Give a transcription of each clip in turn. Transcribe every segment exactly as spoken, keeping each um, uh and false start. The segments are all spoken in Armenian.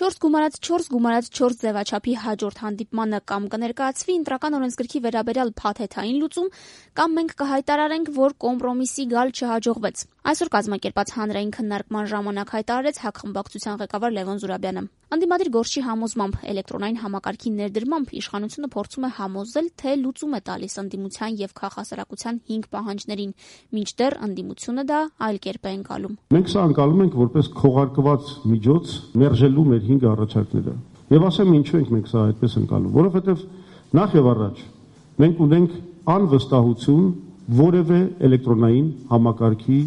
Չորս գումարած չորս գումարած չորս ձևաչափի հաջորդ հանդիպմանը կամ կներկայացվի ընտրական օրենսգրքի վերաբերյալ փաթեթային լուծում, կամ մենք կհայտարարենք, որ կոմպրոմիսի գալ չհաջողվեց։ Այսօր կազմակերպած հանրային քննարկման ժամանակ հայտարարեց ՀԱԿ-խմբակցության ղեկավար Լևոն Զուրաբյանը։ Անդիմադիր Գորշի համոզմամբ էլեկտրոնային համակարգի ներդրմամբ իշխանությունը փորձում է համոզել, թե լուծում է տալիս ընդդիմության եւ քաղաքասարակության հինգ պահանջներին, մինչդեռ ընդդիմությունը դա այլ կերպ է ընկալում։ Մենք սա ընկալում ենք որպես քողարկված միջոց մերժելու մեր հինգ առաջարկները։ Եվ ասեմ ինչու ենք մենք սա այդպես ընկալում, որովհետեւ նախ եւ առաջ մենք ունենք անվստահություն որևէ էլեկտրոնային համակարգի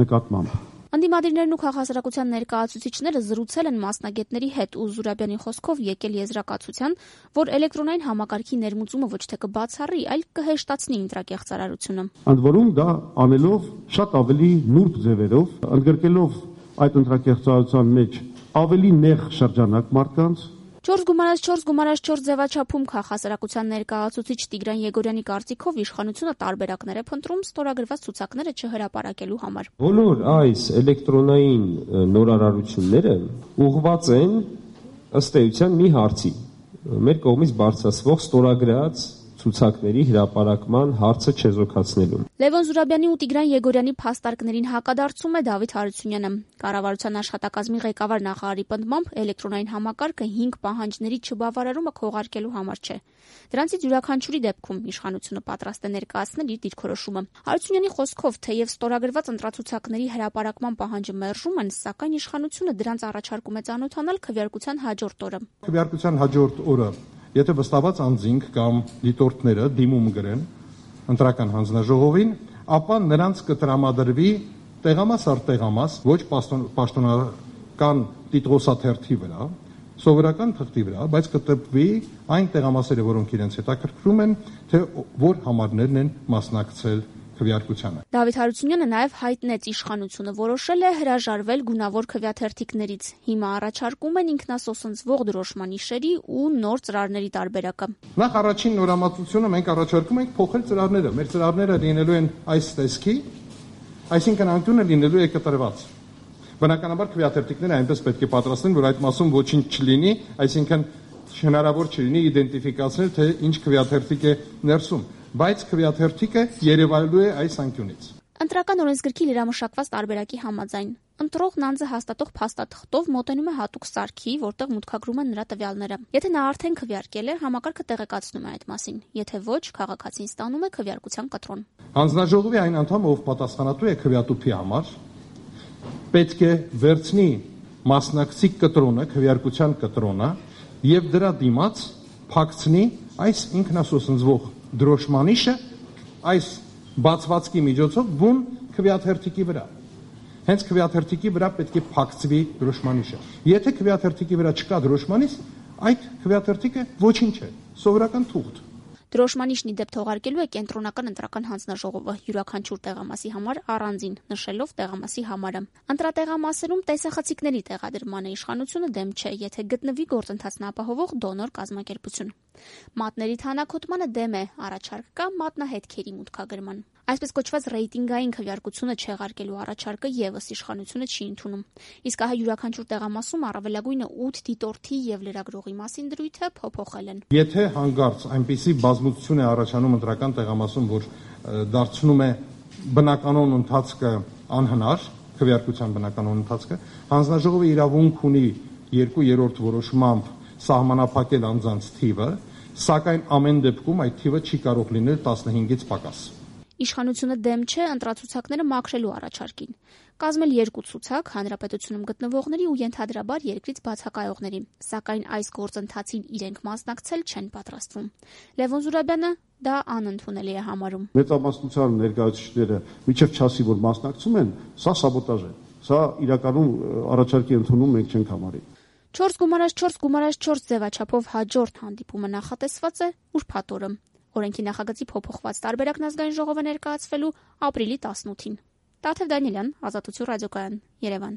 նկատմամբ։ Անդիմադիրներն ու քաղաքասարակության ներկայացուցիչները զրուցել են մասնագետների հետ ու Զուրաբյանի խոսքով եկել եզրակացության, որ էլեկտրոնային համակարգի ներմուծումը ոչ թե կբացառի, այլ կհեշտացնի ընտրակեղծարարությունը։ Ընդ որում դա անելով շատ ավելի նուրբ ձևերով, ընդգրկելով այդ ընտրակեղծարարության մեջ ավելի նեղ շրջանակ մարդկանց։ Չորս գումարած չորս գումարած չորս ձևաչափում քաղաքասարակության ներկայացուցիչ Տիգրան Եգորյանի կարծիքով իշխանությունը տարբերակներ է փնտրում ստորագրված ցուցակները չհրապարակելու համար։ Բոլոր այս էլեկտրոնային նորարարությունները ուղղված են ըստ էության մի հարցի՝ մեր կողմից բարձրացվող ստորագրած ցուցակների հրապարակման հարցը չեզոքացնելու։ Լևոն Զուրաբյանի ու Տիգրան Եգորյանի փաստարկներին հակադարձում է Դավիթ Հարությունյանը։ Կառավարության աշխատակազմի ղեկավար նախարարի պնդմամբ էլեկտրոնային համակարգը հինգ պահանջների չբավարարումը քողարկելու համար չէ։ Դրանցից յուրաքանչյուրի դեպքում իշխանությունը պատրաստ է ներկայացնել իր դիրքորոշումը։ Հարությունյանի խոսքով, թեև ստորագրված ընտրացուցակների հրապարակման պահանջը մերժում են, սակայն իշխանությունը դրանց առաջարկում է ծանոթանալ քվեարկության հաջորդ օրը։ Քվեարկության հաջորդ օրը եթե վստահված անձինք կամ դիտորդները դիմում գրեն ընտրական հանձնաժողովին, ապա նրանց կտրամադրվի տեղամաս առ տեղամաս, ոչ պաշտոնական տիտղոսաթերթի վրա, սովորական թղթի վրա, բայց կտպվի այն տեղամասերը, որոնք իրենց հետաքրքրում են, թե որ համարներն են մասնակցել քվեարկությանը։ Դավիթ Հարությունյանը նաև հայտնեց իշխանությունը որոշել է հրաժարվել գունավոր քվեաթերթիկներից։ Հիմա առաջարկում են ինքնասոսնձվող դրոշմանիշերի ու նոր ծրարների տարբերակը։ Նախ առաջին նորամուծությունը մենք առաջարկում ենք փոխել ծրարները։ Մեր ծրարները լինելու են այս տեսքի, այսինքն անկյունը լինելու է կտրված։ Բնականաբար քվեաթերթիկները այնպես պետք է պատրաստեն, որ այդ մասում ոչինչ չլինի, այսինքն հնարավոր չլինի իդենտիֆիկացնել, թե ինչ քվեաթերթիկ է ներսում, բայց քվեաթերթիկը երևալու է այս անկյունից։ Ընտրական օրենսգրքի լրամշակված տարբերակի համաձայն ընտրողն անձը հաստատող փաստաթղթով մոտենում է հատուկ սարքի, որտեղ մուտքագրում են նրա տվյալները։ Եթե նա արդեն քվեարկել է, համակարգը տեղեկացնում է այդ մասին։ Եթե ոչ, քաղաքացին ստանում է քվեարկության կտրոն։ Հանձնաժողովի այն անդամը, ով պատասխանատու է քվեատուփի համար, պետք է վերցնի մասնակցի կտրոնը, քվեարկության կտրոնը եւ դրա դիմաց փակցնի այս ինքնասոսնձվող դրոշմանիշը այս բացվածքի միջոցով բուն քվեաթերթիկի վրա։ Հենց քվեաթերթիկի վրա պետք է փակցվի դրոշմանիշը։ Եթե քվեաթերթիկի վրա չկա դրոշմանիշ, այդ քվեաթերթիկը ոչինչ է, սովորական թուղթ։ Դրոշմանիշն ի դեպ թողարկելու է կենտրոնական ընտրական հանձնաժողովը յուրաքանչյուր տեղամասի համար առանձին, նշելով տեղամասի համարը։ Ընտրատեղամասերում տեսախցիկների տեղադրմանը իշխանությունը դեմ չէ, եթե գտնվի գործընթացն ապահովող դոնոր կազմակերպություն։ Մատների թանաքոտմանը դեմ է, առաջարկ կա մատնահետքերի մուտքագրման։ Այսպես կոչված ռեյտինգային քվեարկությունը չեղարկելու առաջարկը եւս իշխանությունը չի ընդունում։ Իսկ ահա յուրաքանչյուր տեղամասում առավելագույնը ութ դիտորդի եւ լրագրողի մասին դրույթը փոփոխել են։ Եթե հանկարծ այնպիսի բազմություն է առաջանում ընտրական տեղամասում, որ դարձնում է բնականոն ընթացքը անհնար, քվեարկության բնականոն ընթացքը, հանձնաժողովը իրավունք ունի երկու երրորդ որոշմամբ սահմանափակել անձանց թիվը, սակայն ամեն դեպքում այդ թիվը չի կարող լինել տասնհինգից պակաս։ Իշխանությունը դեմ չէ ընտրացուցակները մաքրելու առաջարկին։ Կազմել երկու ցուցակ հանրապետությունում գտնվողների ու ենթադրաբար երկրից բացակայողների, սակայն այս գործընթացին իրենք մասնակցել չեն պատրաստվում։ Լևոն Զուրաբյանը դա անընդունելի է համարում։ Մեծամասնության ներկայացուցիչները միջև չասի, որ մասնակցում են, սա սաբոտաժ է։ Սա իրականում առաջարկի ընդունում մենք չենք համարի։ Չորս գումարած չորս գումարած չորս ձևաչափով հաջորդ հանդիպումը նախատեսված է ուրբաթ օրը։ Օրենքի նախագծի փոփոխված տարբերակն ազգային ժողովը ներկայացվելու ապրիլի տասնութին։ Տաթև Դանիելյան, Ազատություն ռադիոկայան, Երևան։